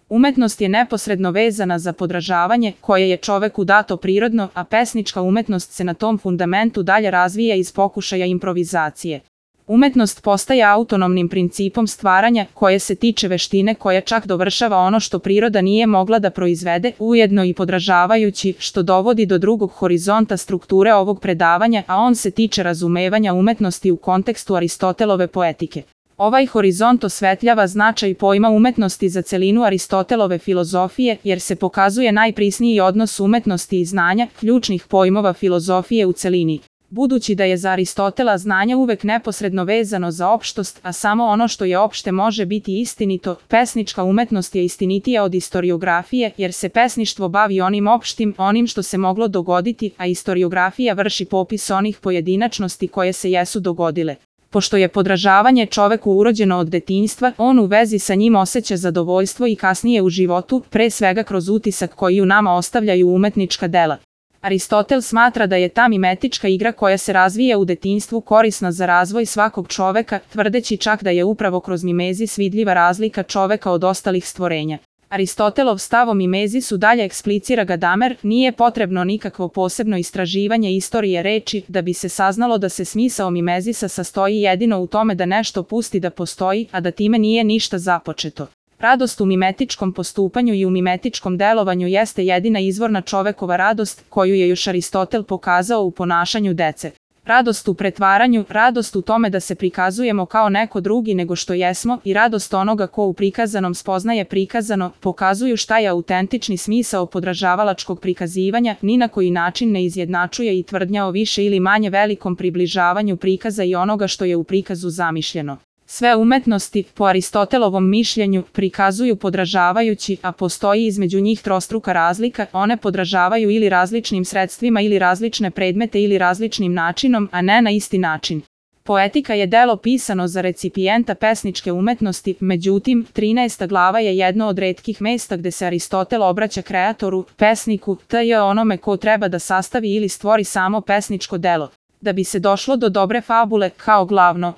Umetnost je neposredno vezana za podražavanje koje je čoveku dato prirodno, a pesnička umetnost se na tom fundamentu dalje razvija iz pokušaja improvizacije. Umetnost postaje autonomnim principom stvaranja koje se tiče veštine koja čak dovršava ono što priroda nije mogla da proizvede, ujedno i podražavajući, što dovodi do drugog horizonta strukture ovog predavanja, a on se tiče razumevanja umetnosti u kontekstu Aristotelove poetike. Ovaj horizont osvetljava značaj pojma umetnosti za celinu Aristotelove filozofije, jer se pokazuje najprisniji odnos umetnosti i znanja, ključnih pojmova filozofije u celini. Budući da je za Aristotela znanje uvek neposredno vezano za opštost, a samo ono što je opšte može biti istinito, pesnička umetnost je istinitija od istoriografije, jer se pesništvo bavi onim opštim, onim što se moglo dogoditi, a istoriografija vrši popis onih pojedinačnosti koje se jesu dogodile. Pošto je podražavanje čoveku urođeno od detinjstva, on u vezi sa njim osjeća zadovoljstvo i kasnije u životu, pre svega kroz utisak koji u nama ostavljaju umetnička dela. Aristotel smatra da je ta mimetička igra koja se razvija u detinjstvu korisna za razvoj svakog čoveka, tvrdeći čak da je upravo kroz mimezis vidljiva razlika čoveka od ostalih stvorenja. Aristotelov stav o mimezisu dalje eksplicira Gadamer, nije potrebno nikakvo posebno istraživanje istorije reči da bi se saznalo da se smisao mimezisa sastoji jedino u tome da nešto pusti da postoji, a da time nije ništa započeto. Radost u mimetičkom postupanju i u mimetičkom delovanju jeste jedina izvorna čovekova radost, koju je još Aristotel pokazao u ponašanju dece. Radost u pretvaranju, radost u tome da se prikazujemo kao neko drugi nego što jesmo i radost onoga ko u prikazanom spoznaje prikazano, pokazuju šta je autentični smisao podražavalačkog prikazivanja, ni na koji način ne izjednačuje i tvrdnja o više ili manje velikom približavanju prikaza i onoga što je u prikazu zamišljeno. Sve umetnosti, po Aristotelovom mišljenju, prikazuju podražavajući, a postoji između njih trostruka razlika, one podražavaju ili različnim sredstvima ili različne predmete ili različnim načinom, a ne na isti način. Poetika je delo pisano za recipijenta pesničke umetnosti, međutim, 13. glava je jedno od retkih mesta gde se Aristotel obraća kreatoru, pesniku, tj. onome ko treba da sastavi ili stvori samo pesničko delo. Da bi se došlo do dobre fabule, kao glavno